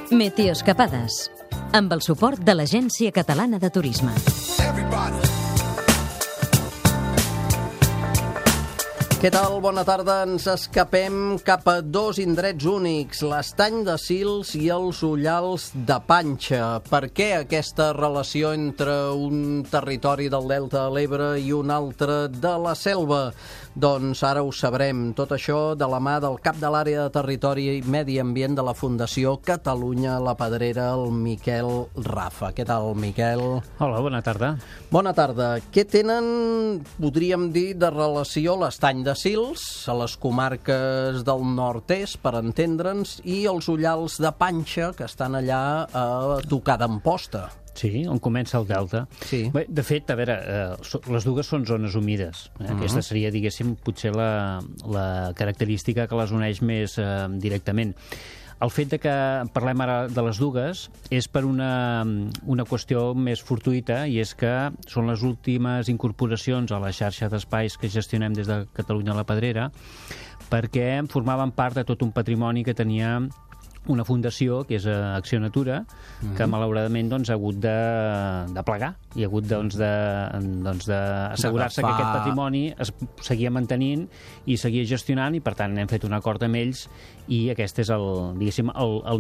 Meteoescapades, amb el suport de l'Agència Catalana de Turisme. Què tal? Bona tarda. Ens escapem cap a dos indrets únics, l'Estany de Sils i els Ullals de Panxa. Per què aquesta relació entre un territori del Delta de l'Ebre i un altre de la Selva? Doncs ara ho sabrem. Tot això de la mà del cap de l'àrea de Territori i Medi Ambient de la Fundació Catalunya La Pedrera, el Miquel Rafa. Què tal, Miquel? Hola, bona tarda. Bona tarda. Què tenen, podríem dir, de relació l'Estany de Sils, a les comarques del nord-est, per entendre'ns, i els Ullals de Panxa, que estan allà a tocar d'Amposta? Sí, on comença el Delta. Sí. Bé, de fet, a veure, les dues són zones humides. Aquesta seria, diguéssim, potser la característica que les uneix més directament. El fet de que parlem ara de les dues és per una qüestió més fortuïta, i és que són les últimes incorporacions a la xarxa d'espais que gestionem des de Catalunya La Pedrera, perquè formaven part de tot un patrimoni que tenia una fundació, que és Acció Natura, que malauradament ha hagut de plegar i ha hagut d'assegurar-se que aquest patrimoni es seguia mantenint i seguia gestionant, i per tant hem fet un acord amb ells, i aquest és el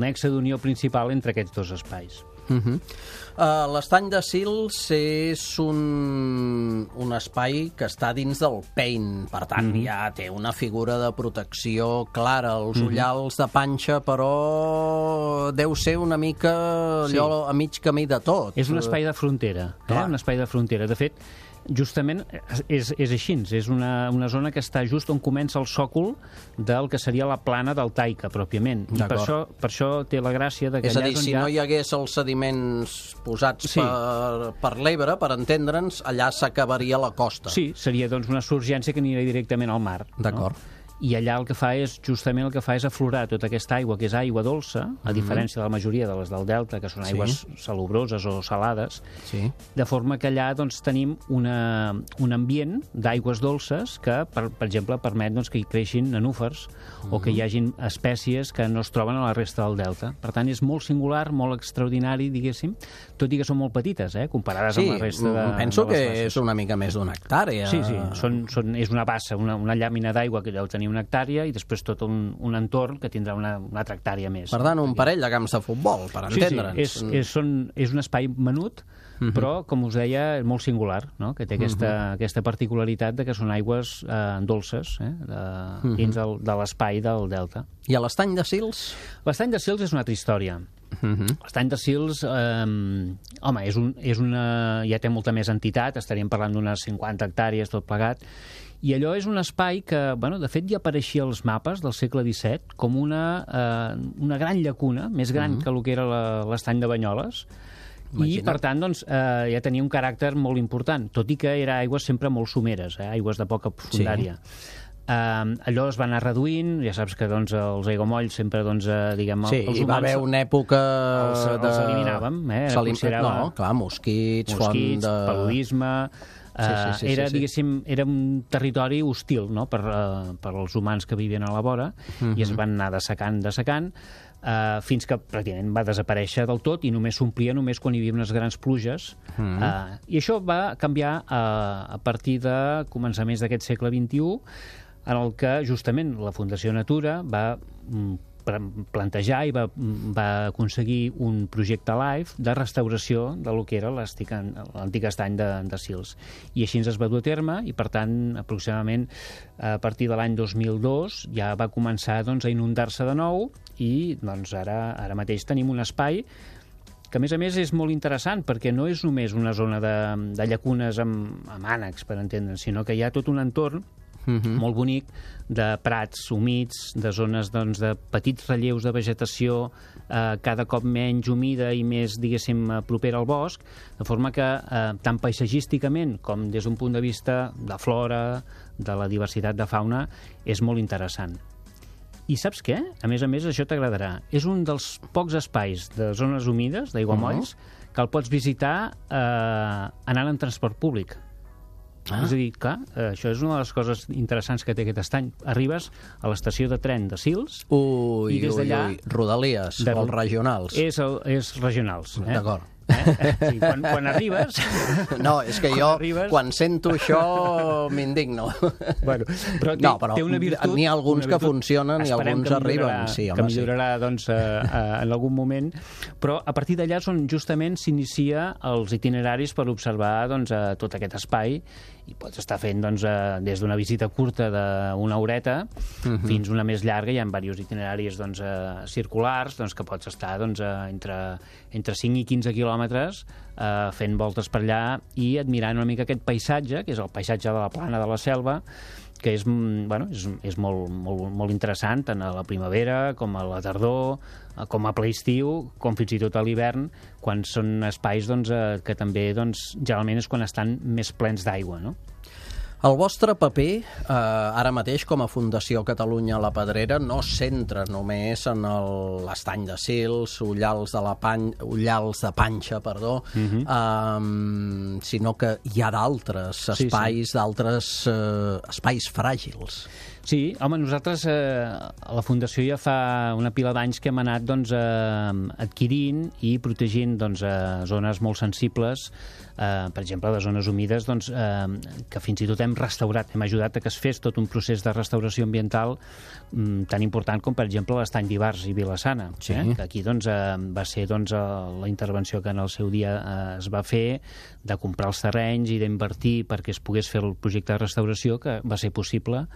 nexe d'unió principal entre aquests dos espais. L'Estany de Sils és un espai que està dins del PEIN, per tant ja té una figura de protecció clara. Els Ullals de Panxa, però deu ser una mica allò a mig camí de tot. És un espai de frontera, un espai de frontera. De fet, justament és així, és una zona que està just on comença el sòcol del que seria la plana del Taica, pròpiament. I per això té la gràcia de que... És a dir, si no hi hagués els sediments posats per l'Ebre, per entendre'ns, allà s'acabaria la costa. Sí, seria doncs una surgència que aniria directament al mar. D'acord. I allà justament el que fa és aflorar tota aquesta aigua, que és aigua dolça, a diferència de la majoria de les del Delta, que són aigües salobroses o salades, de forma que allà tenim un ambient d'aigües dolces que, per exemple, permet que hi creixin nenúfars o que hi hagin espècies que no es troben a la resta del Delta. Per tant, és molt singular, molt extraordinari, diguéssim, tot i que són molt petites, comparades amb la resta de... Sí, penso que és una mica més d'una hectàrea. Sí, és una bassa, una llàmina d'aigua que deu tenir una hectàrea, i després tot un entorn que tindrà una altra hectàrea més. Per tant, un parell de camps de futbol, per entendre'ns. Sí, és un espai menut, però, com us deia, molt singular, que té aquesta particularitat de que són aigües dolces dins de l'espai del Delta. I a l'Estany de Sils? L'Estany de Sils és una altra història. L'Estany de Sils, ja té molta més entitat, estaríem parlant d'unes 50 hectàrees, tot plegat, i allò és un espai que, de fet, ja apareixia als mapes del segle XVII com una gran llacuna, més gran que el que era l'Estany de Banyoles, i, per tant, ja tenia un caràcter molt important, tot i que era aigües sempre molt someres, aigües de poca profundària. Allò es va anar reduint, ja saps que els aiguamolls sempre, diguem, els humans... Sí, hi va haver una època... Els eliminàvem, No, clar, mosquits, paludisme... Diguéssim, era un territori hostil per als humans que vivien a la vora, i es van anar dessecant, fins que pràcticament va desaparèixer del tot i només s'omplia quan hi havia unes grans pluges. I això va canviar a partir de començaments d'aquest segle XXI, en el que justament la Fundació Natura va plantejar i va aconseguir un projecte LIFE de restauració del que era l'antic estany de Sils. I així es va dur a terme, i per tant, aproximadament a partir de l'any 2002 ja va començar a inundar-se de nou, i ara mateix tenim un espai que, a més, és molt interessant, perquè no és només una zona de llacunes amb ànecs, per entendre'ns, sinó que hi ha tot un entorn molt bonic, de prats humits, de zones de petits relleus de vegetació cada cop menys humida i més, diguéssim, propera al bosc, de forma que tant paisatgísticament com des d'un punt de vista de flora, de la diversitat de fauna, és molt interessant. I saps què? A més, això t'agradarà. És un dels pocs espais de zones humides, d'aiguamolls, que el pots visitar anant en transport públic. És a dir, clar, això és una de les coses interessants que té aquest estany. Arribes a l'estació de tren de Sils i des d'allà... Rodalies, o regionals. És regionals. D'acord. Sí, quan arribes... No, és que jo, quan sento això, m'indigno. Bueno, però té una virtut... N'hi ha alguns que funcionen i alguns arriben. Sí, que millorarà, doncs, en algun moment. Però a partir d'allà és on justament s'inicia els itineraris per observar doncs, tot aquest espai, i pots estar fent doncs, des d'una visita curta d'una horeta fins una més llarga. Hi ha diversos itineraris doncs, circulars doncs, que pots estar doncs, entre 5 i 15 quilòmetres fent voltes per allà i admirant una mica aquest paisatge, que és el paisatge de la Plana de la Selva, que és molt interessant tant a la primavera com a la tardor, com a ple estiu, com fins i tot a l'hivern, quan són espais doncs, que també doncs, generalment és quan estan més plens d'aigua, no? El vostre paper, ara mateix, com a Fundació Catalunya La Pedrera, no es centra només en l'estany de Sils, Ullals de Panxa, sinó que hi ha d'altres espais, d'altres espais fràgils. Sí, home, nosaltres a la Fundació ja fa una pila d'anys que hem anat doncs, adquirint i protegint doncs, zones molt sensibles, per exemple, de zones humides, doncs, que fins i tot hem restaurat, hem ajudat a que es fes tot un procés de restauració ambiental tan important com, per exemple, l'estany d'Ivars i Vila-sana. Sí. Que aquí doncs, va ser doncs, la intervenció que en el seu dia es va fer de comprar els terrenys i d'invertir perquè es pogués fer el projecte de restauració, que va ser possible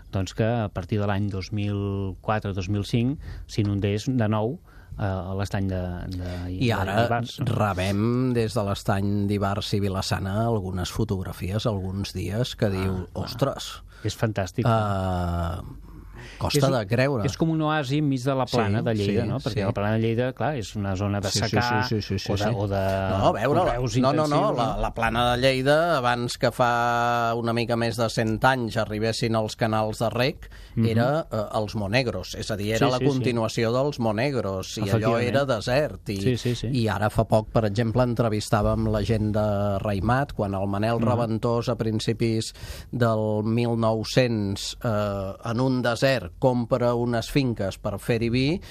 doncs, que a partir de l'any 2004-2005 s'inundés de nou a l'estany d'Ivars. I ara rebem des de l'estany d'Ivars i Vila-sana algunes fotografies, alguns dies, que diu, ostres... És fantàstic. Costa de creure. És com un oasi enmig de la Plana de Lleida, no? Perquè la Plana de Lleida, clar, és una zona de secà o de... No, a veure, la Plana de Lleida, abans que fa una mica més de 100 anys arribessin els canals de rec, era els Monegros, és a dir, era la continuació dels Monegros, i allò era desert. I ara fa poc, per exemple, entrevistàvem la gent de Raimat, quan el Manel Reventós, a principis del 1900, en un desert, compra unes finques per fer-hi vi,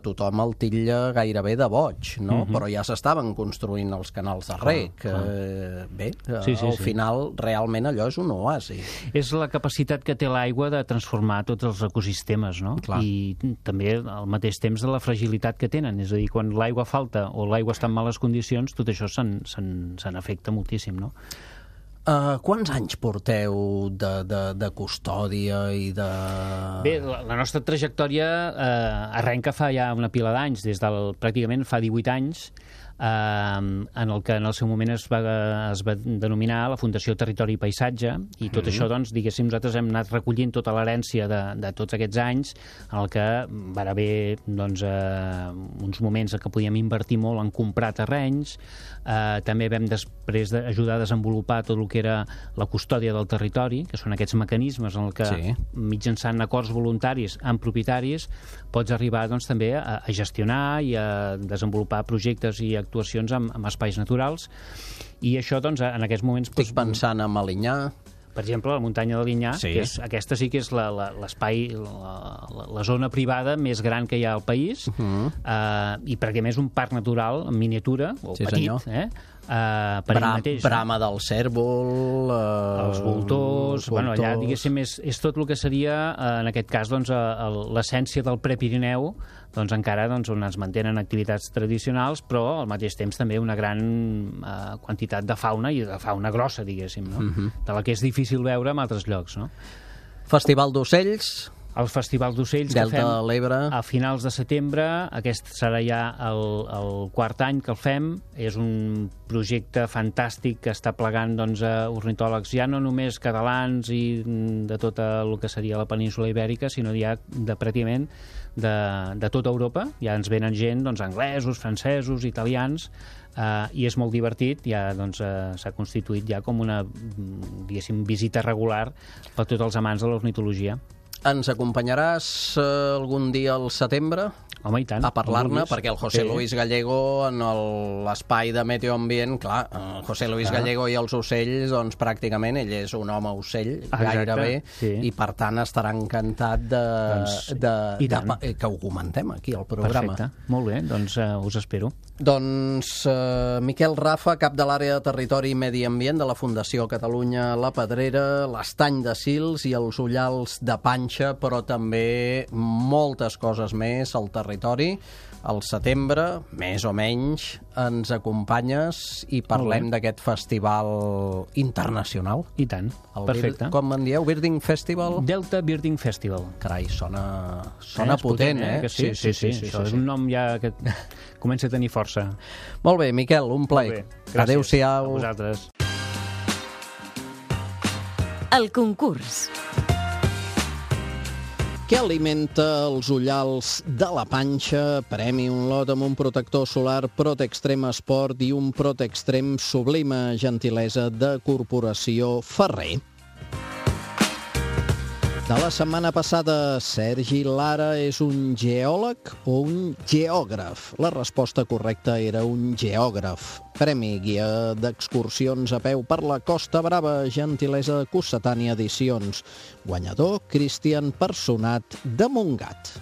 tothom el titlla gairebé de boig, no? Però ja s'estaven construint els canals de rec. Bé, al final realment allò és un oasi. És la capacitat que té l'aigua de transformar tots els ecosistemes, no? I també al mateix temps de la fragilitat que tenen, és a dir, quan l'aigua falta o l'aigua està en males condicions, tot això se n'afecta moltíssim, no? Quants anys porteu de custòdia i de... Bé, la nostra trajectòria arrenca fa ja una pila d'anys, pràcticament fa 18 anys, en el que en el seu moment es va denominar la Fundació Territori i Paisatge, i tot això, doncs, diguéssim, nosaltres hem anat recollint tota l'herència de tots aquests anys, en el que van haver doncs, uns moments en què podíem invertir molt en comprar terrenys, també vam després ajudar a desenvolupar tot el que era la custòdia del territori, que són aquests mecanismes en el que mitjançant acords voluntaris amb propietaris pots arribar doncs, també a gestionar i a desenvolupar projectes i actuacions amb espais naturals, i això doncs, en aquests moments... Estic pensant en Alinyà. Per exemple, la muntanya de l'Inyà, que aquesta sí que és l'espai, la zona privada més gran que hi ha al país, i perquè a més un parc natural en miniatura, o petit, per ell mateix. Brama del cèrvol... Els voltors... Bueno, allà, diguéssim, és tot el que seria, en aquest cas, doncs, l'essència del Prepirineu, doncs encara on es mantenen activitats tradicionals, però al mateix temps també una gran quantitat de fauna, i de fauna grossa, diguéssim, no? De la que és difícil veure en altres llocs, no? Festival d'ocells... El Festival d'Ocells que fem a finals de setembre. Aquest serà ja el quart any que el fem. És un projecte fantàstic que està plegant doncs, ornitòlegs ja no només catalans i de tota el que seria la península Ibèrica, sinó ja pràcticament de tota Europa. Ja ens venen gent, doncs, anglesos, francesos, italians, i és molt divertit. Ja doncs, s'ha constituït ja com una, diguéssim, visita regular per tots els amants de l'ornitologia. Ens acompanyaràs algun dia al setembre? Home, i tant. a parlar-ne, perquè el José Luis Gallego en l'espai de Meteo Ambient, clar, el José Luis Gallego i els ocells, doncs pràcticament ell és un home ocell, gairebé, i per tant estarà encantat que ho comentem aquí al programa. Perfecte, molt bé, doncs us espero. Doncs Miquel Rafa, cap de l'àrea de Territori i Medi Ambient de la Fundació Catalunya La Pedrera, l'Estany de Sils i els Ullals de Panxa, però també moltes coses més al territori. Al setembre, més o menys, ens acompanyes i parlem d'aquest festival internacional. I tant, perfecte. Com en dieu? Birding Festival? Delta Birding Festival. Carai, sona potent, eh? Sí, això és un nom ja que comença a tenir força. Molt bé, Miquel, un plaer. Adéu-siau. A vosaltres. El concurs. Què alimenta els ullals de la Panxa? Premi un lot amb un protector solar Protextrem Sport i un Protextrem Sublima, gentilesa de Corporació Ferrer. De la setmana passada, Sergi Lara és un geòleg o un geògraf? La resposta correcta era un geògraf. Premi guia d'excursions a peu per la Costa Brava, gentilesa de Cossetània Edicions. Guanyador, Cristian Personat de Montgat.